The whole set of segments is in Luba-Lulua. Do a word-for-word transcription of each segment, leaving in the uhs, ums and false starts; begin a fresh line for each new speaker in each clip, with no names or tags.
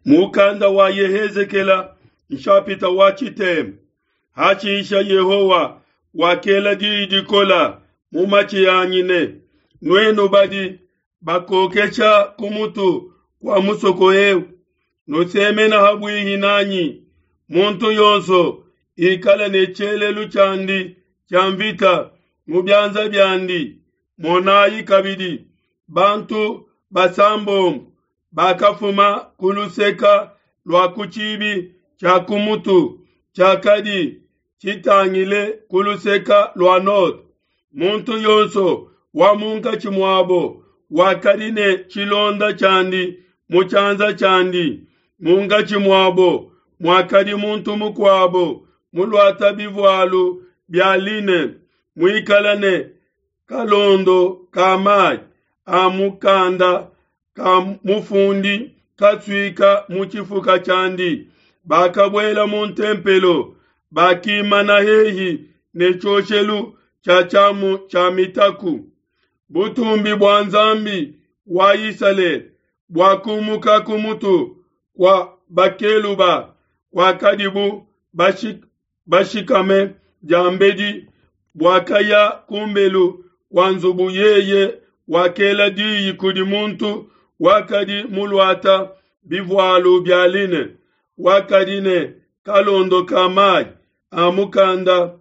Mukanda wa Yehezekela nshapita wa tshitema. Hashisha Yehowa wakela diyi dikola mu matshi anyi ne, nuenu badi bakokesha ku mutu kua musoko eu, nusemena ha buihi nanyi, muntu yonso ikala ne tshielelu tshiandi tshia mvita mu bianza biandi. Monayi kabidi, bantu basambombo bakafuma ku luseka lua ku tshibi tshia ku mutu tshiakadi tshitangile ku luseka lua node. Muntu yonso wa munkatshi muabo wakadi ne tshilonda tshiandi mu tshianza tshiandi. Munkatshi muabo muakadi muntu mukuabo muluata bivualu bia line, muikale ne kalondo ka mai a mukanda ka mufundi kasuika mu tshifuka tshiandi. Bakabuela mu ntempelo, bakimana hehi ne tshioshelu tshia tshiamu tshia mitaku. Butumbi bua Nzambi wa Isalele buakumuka ku mutu kua bakeluba kuakadibu bashikame diambedi, buakaya kumbelu kua nzubu. Yeye wakela diyi kudi muntu wakadi muluata bivualu bia line, wakadi ne kalondo ka mai a mukanda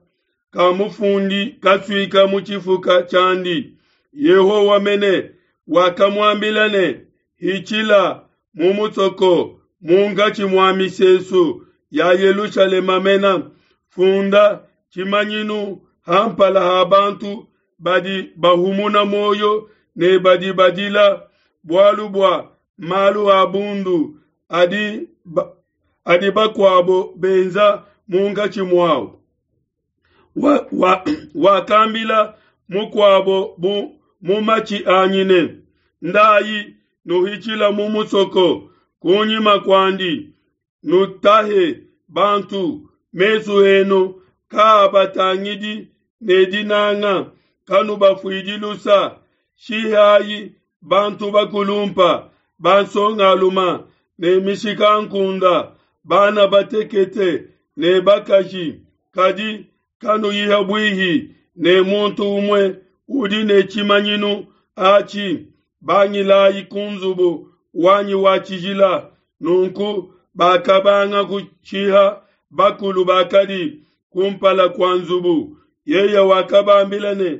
ka mufundi kasuika mu tshifuka tshiandi. Yehowa mene wakamuambila ne, Hitshila mu musoko munkatshi mua misesu ya Yelushalema mena, funda tshimanyinu ha mpala ha bantu badi bahumuna muoyo ne badi badila bualu bua malu a bundu adi, ba, adi bakuabo benza munkatshi muawu. Wakambila wa, wa mukuabo bu mu matshi anyi ne, Ndayi nuhitshila mu musoko kunyima kuandi, nutahe bantu, mesu enu kaabatangidi ne dinanga, kanubafuidi lusa. Shihayi bantu bakulumpa, bansongaluma ne mishikankunde, bana batekete ne bakaji, kadi kanuyi buihi ne muntu umue udi ne tshimanyinu atshi. Bangilayi ku nzubu wanyi wa tshijila. Nunku bakabanga kushiha bakulu bakadi kumpala kua nzubu. Yeye wakabambila ne,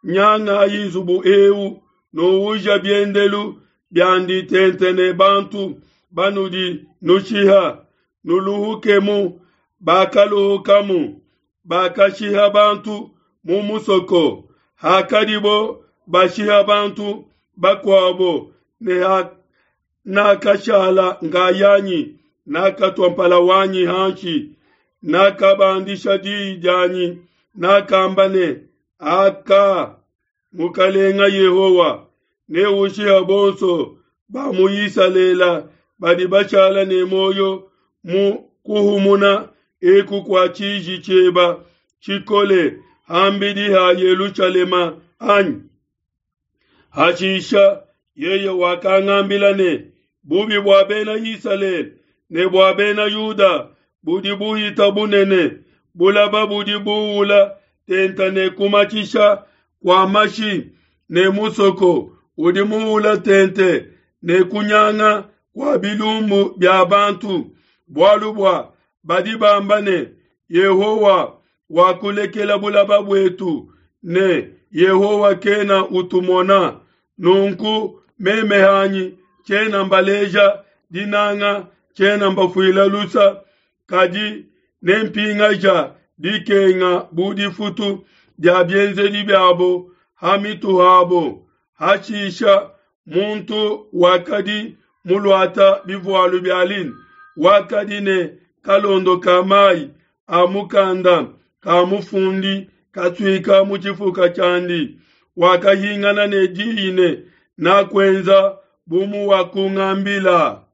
Nyangayi nzubu eu, nuuja biendelu biandi tente ne bantu banudi nushiha, nuluhukemu. Bakaluhukamu, bakashiha bantu mu musoko. Hakadibo bashiha bantu bakuabo, ne nakashala nkayanyi, nakatua mpala wanyi hanshi, nakabandisha diyi dianyi, nakamba ne, Aka, Mukalenga Yehowa, neushiha bonso ba mu Isalele badi bashala ne muoyo mu kuhumuna eku kua tshiji tshieba tshikole ham'bidi ha Yelushalema anyi? Hashisha yeye wakangambila ne, Bubi bua Bena Isalele ne bua Bena Yuda budi buhita bunene, bulaba budi buula tente ne kumatshisha kua mashi, ne musoko udi muula tente ne kunyanga kua bilumbu bia bantu, bualu bua badi bamba ne, Yehowa wakulekela bulaba buetu, ne Yehowa kena utumona. Nunku meme hanyi tshiena mbaleja dinanga, tshiena mbafuila lusa, kadi nempingaja dikenga bu difutu dia bienzedi biabo ha mitu habo. Hashisha muntu wakadi muluata bivualu bia line, wakadi ne kalondo ka mai a mukanda ka mufundi kasuika mu tshifuka tshiandi, wakahingana ne diyi ne, Nakuenza bu muwakungambila.